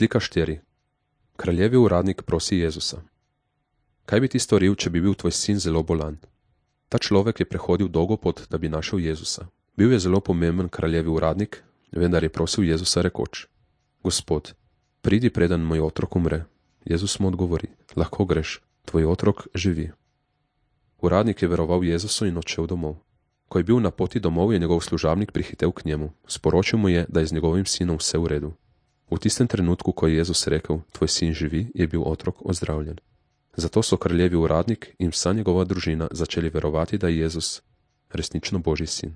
Slika 4. Kraljevi uradnik prosi Jezusa. Kaj bi ti storil, če bi bil tvoj sin zelo bolan? Ta človek je prehodil dolgo pot, da bi našel Jezusa. Bil je zelo pomemben kraljevi uradnik, vendar je prosil Jezusa rekoč: Gospod, pridi, preden moj otrok umre. Jezus mu odgovori: lahko greš, tvoj otrok živi. Uradnik je veroval Jezusu in odšel domov. Ko je bil na poti domov, je njegov služabnik prihitel k njemu. Sporočil mu je, da je z njegovim sinom vse v redu. V tistem trenutku, ko je Jezus rekel: tvoj sin živi, je bil otrok ozdravljen. Zato so kraljevi uradnik in vsa njegova družina začeli verovati, da je Jezus resnično Božji sin.